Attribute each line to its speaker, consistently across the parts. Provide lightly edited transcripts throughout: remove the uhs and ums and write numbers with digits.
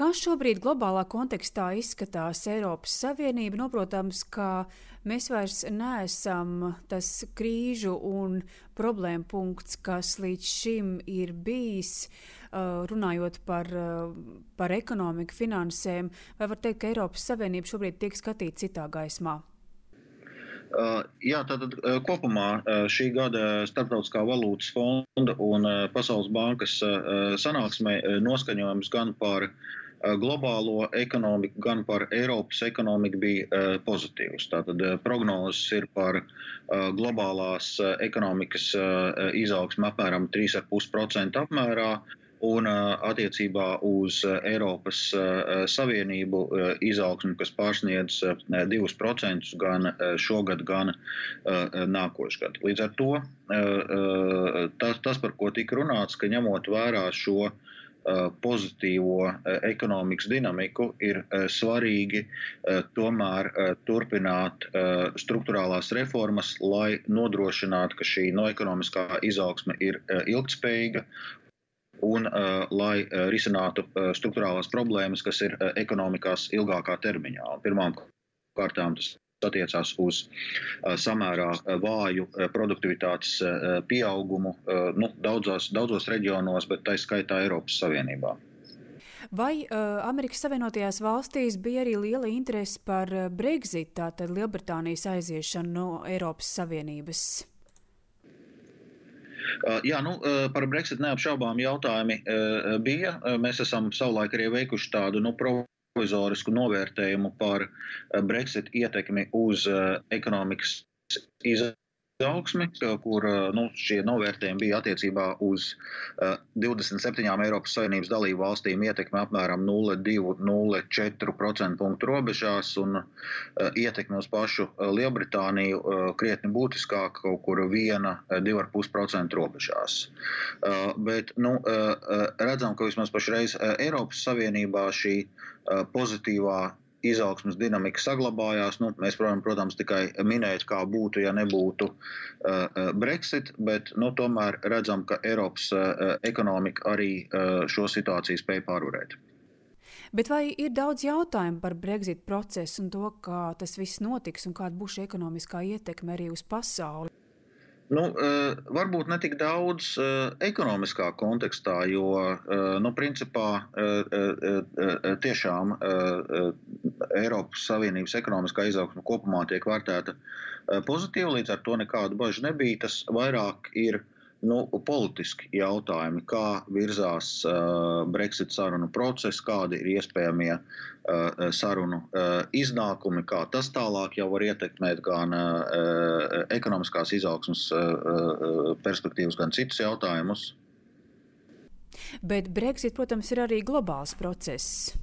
Speaker 1: Kā šobrīd globālā kontekstā izskatās Eiropas Savienība? Protams, ka mēs vairs neesam tas krīžu un problēmu punkts, kas līdz šim ir bijis, runājot par ekonomiku, finansēm. Vai var teikt, ka Eiropas Savienība šobrīd tiek skatīta citā gaismā?
Speaker 2: Jā, tātad kopumā šī gada Starptautiskā valūtas fonda un Pasaules bankas sanāksmē noskaņojums gan par globālo ekonomiku, gan par Eiropas ekonomiku bija pozitīvs. Tātad prognozes ir par globālās ekonomikas izaugsmu apmēram 3,5% apmērā. Un attiecībā uz Eiropas Savienību izaugsmu, kas pārsniedz 2% gan šogad, gan nākošgad. Līdz ar to tas, par ko tika runāts, ka ņemot vērā šo pozitīvo ekonomikas dinamiku, ir svarīgi tomēr turpināt strukturālās reformas, lai nodrošinātu, ka šī ekonomiskā izaugsme ir ilgtspējīga, un lai risinātu strukturālās problēmas, kas ir ekonomikās ilgākā termiņā. Pirmām kārtām tas attiecās uz samērā vāju produktivitātes pieaugumu daudzos reģionos, bet tā skaitā Eiropas Savienībā.
Speaker 1: Vai Amerikas Savienotajās valstīs bija arī liela interese par Brexit, tātad Lielbritānijas aiziešanu no Eiropas Savienības?
Speaker 2: Jā, par Brexit neapšaubām jautājumi bija. Mēs esam savulaik arī veikuši tādu provizorisku novērtējumu par Brexit ietekmi uz ekonomikas izaugsmi, kur šie novērtējumi bija attiecībā uz 27 Eiropas Savienības dalību valstīm ietekmi apmēram 0,2–0,4% punktu robežās un ietekmi uz pašu Lielbritāniju krietni būtiskāk kaut kur 1–2,5% robežās. Bet redzam, ka vismaz pašreiz Eiropas Savienībā šī pozitīvā izaugsmes dinamika saglabājās. Mēs, protams, tikai minēt, kā būtu, ja nebūtu Brexit, bet tomēr redzam, ka Eiropas ekonomika arī šo situāciju spēj pārvarēt.
Speaker 1: Bet vai ir daudz jautājumu par Brexit procesu un to, kā tas viss notiks un kāda būs šī ekonomiskā ietekme arī uz pasauli?
Speaker 2: Varbūt ne tik daudz ekonomiskā kontekstā, jo principā tiešām Eiropas Savienības ekonomiskā izaugsme kopumā tiek vērtēta pozitīvi, līdz ar to nekādu bažu nebija. Tas vairāk ir politiski jautājumi, kā virzās Brexit sarunu process, kādi ir iespējamie sarunu iznākumi, kā tas tālāk jau var ietekmēt gan ekonomiskās izaugsmes perspektīvas, gan citus jautājumus.
Speaker 1: Bet Brexit, protams, ir arī globāls process.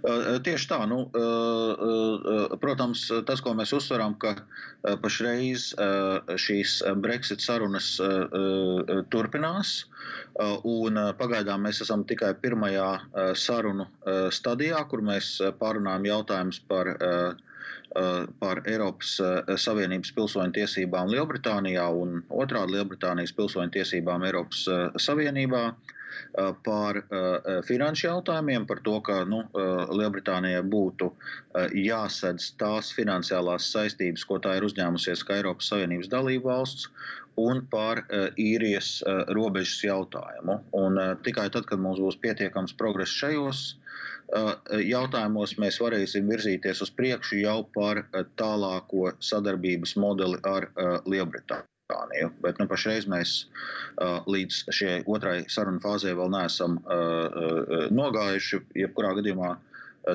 Speaker 2: Tieši tā. Protams, tas, ko mēs uzsveram, ka pašreiz šīs Brexit sarunas turpinās, un pagaidām mēs esam tikai pirmajā sarunu stadijā, kur mēs pārunājam jautājumus par Eiropas Savienības pilsoņu tiesībām Lielbritānijā un otrādi Lielbritānijas pilsoņu tiesībām Eiropas Savienībā, par finanšu jautājumiem, par to, ka Lielbritānijai būtu jāsedz tās finansiālās saistības, ko tā ir uzņēmusies kā Eiropas Savienības dalība valsts, un par īrijas robežas jautājumu. Un tikai tad, kad mums būs pietiekams progress šajos jautājumos, mēs varēsim virzīties uz priekšu jau par tālāko sadarbības modeli ar Lielbritāniju. Bet pašreiz mēs līdz šai otrai sarunu fāzē vēl neesam nogājuši. Jebkurā gadījumā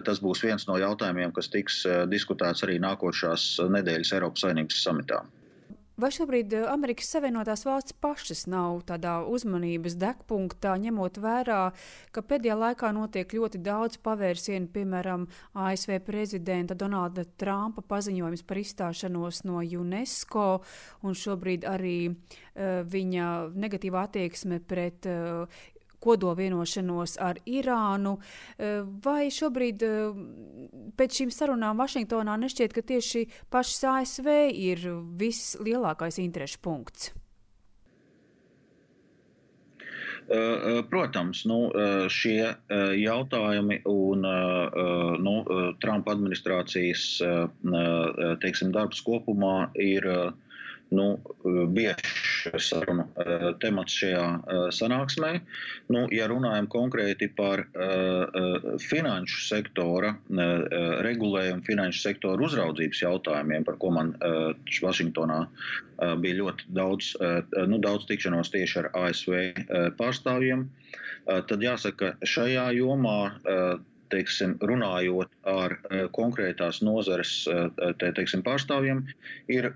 Speaker 2: tas būs viens no jautājumiem, kas tiks diskutēts arī nākošās nedēļas Eiropas Savienības samitā.
Speaker 1: Vai šobrīd Amerikas Savienotās valstis pašas nav tādā uzmanības degpunktā, ņemot vērā, ka pēdējā laikā notiek ļoti daudz pavērsienu, piemēram, ASV prezidenta Donalda Trumpa paziņojums par izstāšanos no UNESCO un šobrīd arī viņa negatīvā attieksme pret kodolvienošanos ar Irānu. Vai šobrīd pēc šīm sarunām Vašingtonā nešķiet, ka tieši pašas ASV ir vislielākais interešu punkts?
Speaker 2: Protams, šie jautājumi un Trumpa administrācijas teiksim, darbs kopumā ir biežs sarunu temats šajā sanāksmē. Ja runājam konkrēti par finanšu sektora regulējumu, finanšu sektora uzraudzības jautājumiem, par ko man Vašingtonā bija ļoti daudz tikšanos tieši ar ASV pārstāvjiem, tad jāsaka, šajā jomā runājot ar konkrētās nozares pārstāvjiem, ir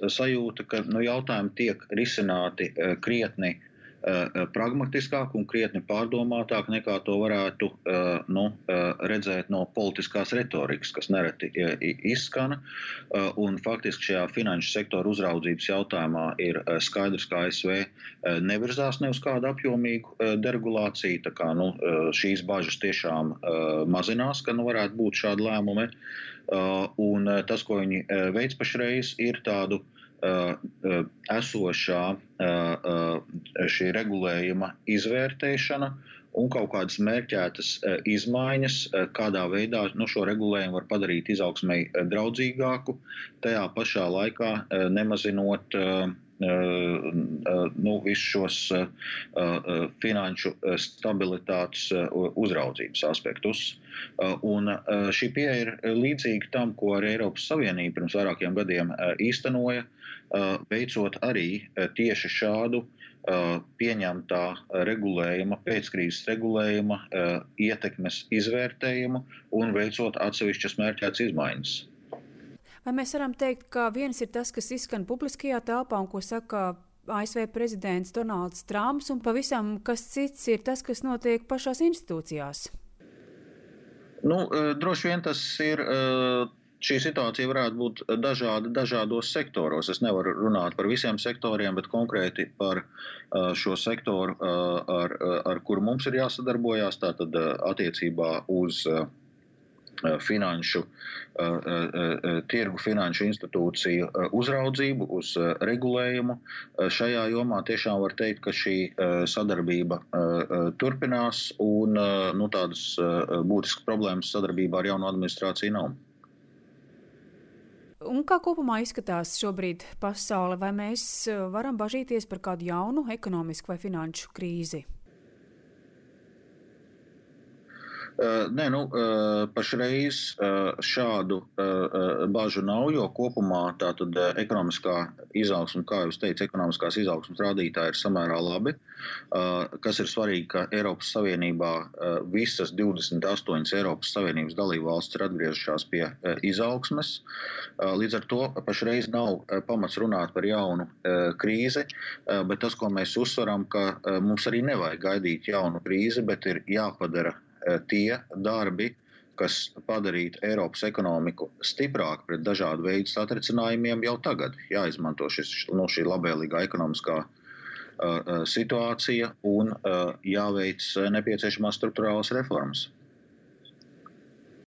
Speaker 2: sajūta, ka jautājumi tiek risināti krietni pragmatiskāk un krietni pārdomātāk nekā to varētu redzēt no politiskās retorikas, kas nereti izskana. Un faktiski šajā finanšu sektora uzraudzības jautājumā ir skaidrs, ka ASV nevirzās ne uz kādu apjomīgu deregulāciju. Tā kā šīs bažas tiešām mazinās, ka varētu būt šādi lēmumi. Un tas, ko viņi veic pašreiz, ir tādu esošā šī regulējuma izvērtēšana un kaut kādas mērķētas izmaiņas, kādā veidā šo regulējumu var padarīt izaugsmei draudzīgāku, tajā pašā laikā nemazinot visus šos finanšu stabilitātes uzraudzības aspektus. Un šī pieeja ir līdzīga tam, ko arī Eiropas Savienība pirms vairākiem gadiem īstenoja, veicot arī tieši šādu pieņemtā regulējuma, pēckrīzes regulējuma ietekmes izvērtējumu un veicot atsevišķas mērķētas izmaiņas.
Speaker 1: Vai mēs varam teikt, ka viens ir tas, kas izskan publiskajā telpā un ko saka ASV prezidents Donalds Trumps, un pavisam kas cits ir tas, kas notiek pašās institūcijās?
Speaker 2: Droši vien tas ir. Šī situācija varētu būt dažāda dažādos sektoros. Es nevaru runāt par visiem sektoriem, bet konkrēti par šo sektoru, ar kuru mums ir jāsadarbojās, tātad attiecībā uz finanšu tirgu, finanšu institūciju uzraudzību, uz regulējumu. Šajā jomā tiešām var teikt, ka šī sadarbība turpinās un tādas būtiskas problēmas sadarbībā ar jauno administrāciju nav.
Speaker 1: Un kā kopumā izskatās šobrīd pasaule? Vai mēs varam bažīties par kādu jaunu ekonomisku vai finanšu krīzi?
Speaker 2: Nē, pašreiz šādu bažu nav, jo kopumā tātad ekonomiskā izaugsme, kā jūs teicat, ekonomiskās izaugsmes rādītāji ir samērā labi. Kas ir svarīgi, ka Eiropas Savienībā visas 28 Eiropas Savienības dalībvalstis ir atgriezušās pie izaugsmes. Līdz ar to pašreiz nav pamats runāt par jaunu krīzi, bet tas, ko mēs uzsveram, ka mums arī nevajag gaidīt jaunu krīzi, bet ir jāpadara tie darbi, kas padarītu Eiropas ekonomiku stiprāku pret dažādu veidu satricinājumiem jau tagad. Jāizmanto šī labvēlīgā ekonomiskā situācija un jāveic nepieciešamās strukturālas reformas.